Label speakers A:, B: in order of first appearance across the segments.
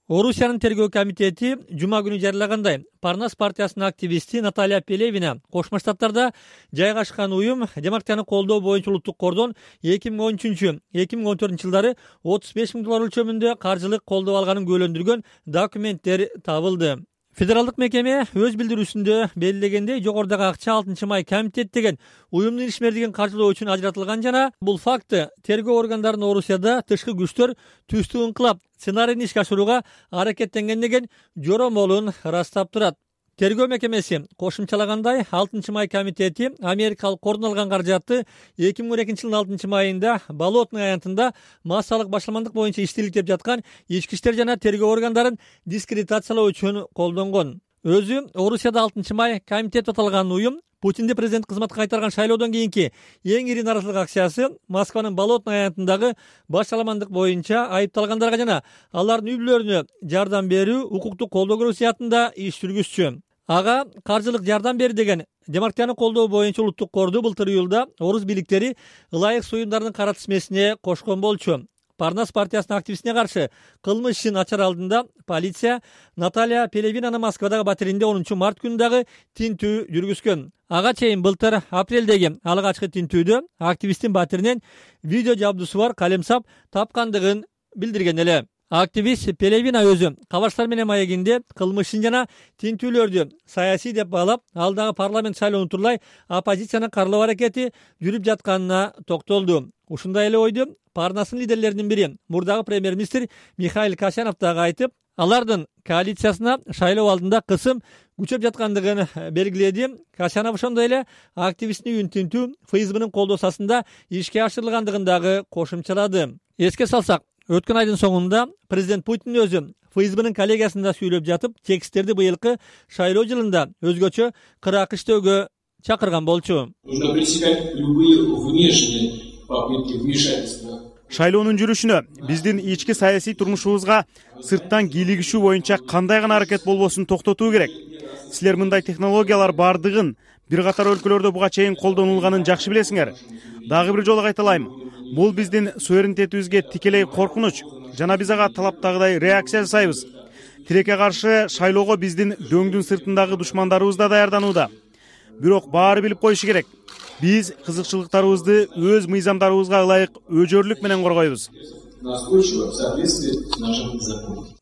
A: Орусиянын тергөө комитети жума күнү жарыялагандай, Парнас партиясынын активисти Наталья Пелевина Кошмо Штаттарда жайгашкан уюм демократияны колдоо боюнча улуттук кордон 2013-2014 жылдары $35,000 өлчөмүндө каржылык колдоо алганын күбөлөндүргөн документтер табылды. Федералдык мекеме өз билдирүүсүндө белгилегендей, жогорудагы акча 6 май комитет деген уюмдун ишмердигин каржылоо үчүн ажыратылган жана бул факты тергөө органдарынын Орусияда тышкы күчтөр түстүк ыңкылап сценарийни ишке ашырууга аракеттенген деген жоромолун ырастап турат. Тергөө мекемеси кошумчалагандай, 6 май комитети Америкалык кордон алган каражатты 2012 жылдын 6 майында Болотный аянтында массалык башаламандык боюнча иштелип жаткан ички иштер жана тергөө органдарын дискредитациялоо үчүн колдонгон. Өзү Орусияда 6 май комитет аталган уюм Путинди президент кызматка кайтарган шайлоодон кийинки эң ири нааразычылык акциясы Москванын Болотный аянтындагы башаламандык боюнча айыпталгандарга жана алардын үй бүлөлөрүнө жардам берүү, укуктук колдоо көрүү сыяттында иш жүргүзчү. Ага каржылык жардам бер деген демократияны колдоо боюнча улуттук корду былтыр июлда орус бийликтери ылайык суюмдардын кара тизмесине кошкон болчу. Парнас партиясынын активистине каршы кылмыш ишин ачар алдында полиция Наталья Пелевинаны Москвадагы батиринде 10 март күнү дагы тинтүү жүргүзгөн. Ага чейин былтыр апрелдеги алгачкы тинтүүдө активисттин батиринен видео жабдуусу бар калемсап тапкандыгын билдирген эле. Активист Пелевина өзү Кабарштар менен маегинде кылмышын жана тинтүүлөрдү саясий деп баалап, алдагы парламент шайлоонун турулай оппозицияны каралоо аракети жүрүп жатканына токтолду. Ушундай эле ойду Парнастын лидерлеринин бири, мурдагы премьер-министр Михаил Касьянов дагы айтып, алардын коалициясына шайлоо алдында кысым күчөп жаткандыгын белгиледи. Касьянов ошондой эле активисттин үйүн тинтүү ФСБнын колдоосунда ишке ашырылгандыгын дагы кошумчалады. Эске салсак, өткөн айдын соңунда президент Путин өзү ФСБнын коллегиясында сүйлөп жатып, тексттерди быйылкы шайлоо жылында өзгөчө кырак иштөөгө чакырган болчу.
B: Шайлоонун жүрүшүнө, биздин ички саясий турмушубузга сырттан кийлигишүү боюнча кандай гана аракет болбосун токтотуу керек. Силер мындай технологиялар бардыгын бир катар өлкөлөрдө буга чейин колдонулганын жакшы билесиңер. Дагы бир жолу кайталайм. Бул биздин суверенитетибизге тикелей коркунуч жана биз ага талаптагыдай реакция жасайбыз. Тилекке каршы шайлоого биздин дөңдүн сыртындагы душмандарыбыз да даярданууда. Бирок баары билип коюшу керек. Биз кызыкчылыктарыбызды өз мыйзамдарыбызга ылайык өжөрлүк менен коргойбуз.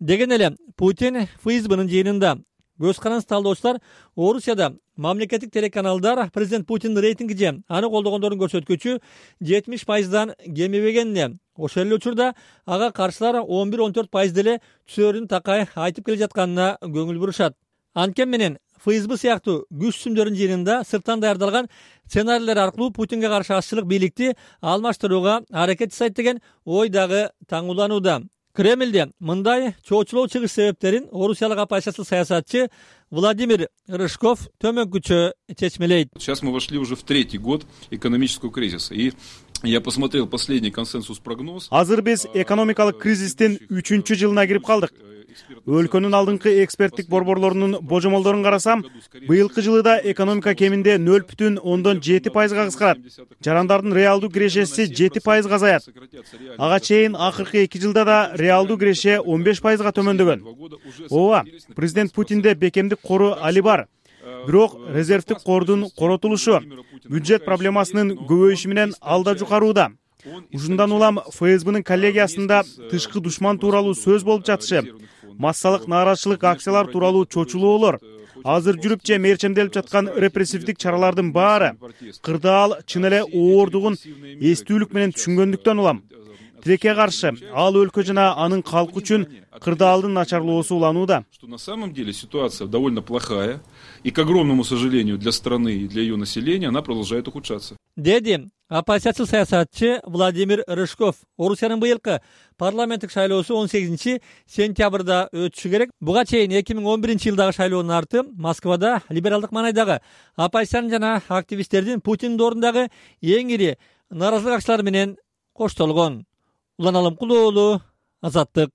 A: Деген эле Путин ФСБнын жыйынында. Көз каранды талдоочулар Орусияда мамлекеттик телеканалдар президент Путиндин рейтинги же аны колдогондордун көрсөткүчү 70%дан кемебегенине, ошол эле учурда ага каршылар 11-14% деле түсөрүн такай айтып келе жатканына көңүл бурушат. Анткени менен ФСБ сыяктуу күч сүмдөрдүн жыйынында сырттан даярдалган сценарийлер аркылуу Путинге каршы ашчылык бийликти алмаштырууга аракет жасайт деген ой дагы таңууланууда. Кремлде мындай чоочулоо чыгыш себептерин орусиялык оппозициялык саясатчы Владимир Рыжков төмөнкүчө чечмелейт.
C: Сейчас мы вошли уже в 3-й год экономического кризиса. И я посмотрел последний консенсус-прогноз.
B: Азыр биз экономикалык кризистин 3-чү жылына кирип калдык. Өлкөнүн алдыңкы эксперттик борборлорунун божомолдорун карасам, быйылкы жылыда экономика кеминде 0,7%га кыскарат. Жарандардын реалдуу кирешеси 7% азаят. Ага чейин акыркы 2 жылда да реалдуу киреше 15%га төмөндөгөн. Ооба, президент Путинде бекемдик кору али бар. Бирок резервдик кордун коротулушу, бюджет проблемасынын көбөйүшү менен алда жукарууда. Ушундан улам ФСБнын коллегиясында тышкы душман тууралуу сөз болуп жатышы, массалык нааразычылык акциялар тууралуу чочулоолор, азыр жүрүп же мерчемделип жаткан репрессивдик чаралардын баары кырдаал чын эле оордугун эстүүлүк менен түшүнгөндүктөн улам. Тилекке каршы ал өлкө жана анын калкы үчүн кырдаалдын начарлоосу уланууда.
C: Что на самом деле ситуация довольно плохая, и, к огромному сожалению, для страны и для ее населения она продолжает ухудшаться.
A: Деди оппозициялык саясатчы Владимир Рыжков. Орусиянын быйылкы парламенттик шайлоосу 18-сентябрда өтүшү керек. Буга чейин 2011-жылдагы шайлоонун арты Москвада либералдык маанайдагы оппозициянын жана активисттердин Путиндин ордундагы эң ири нааразычылык акциялары менен коштолгон. Улан Алымкулуу, Азаттык.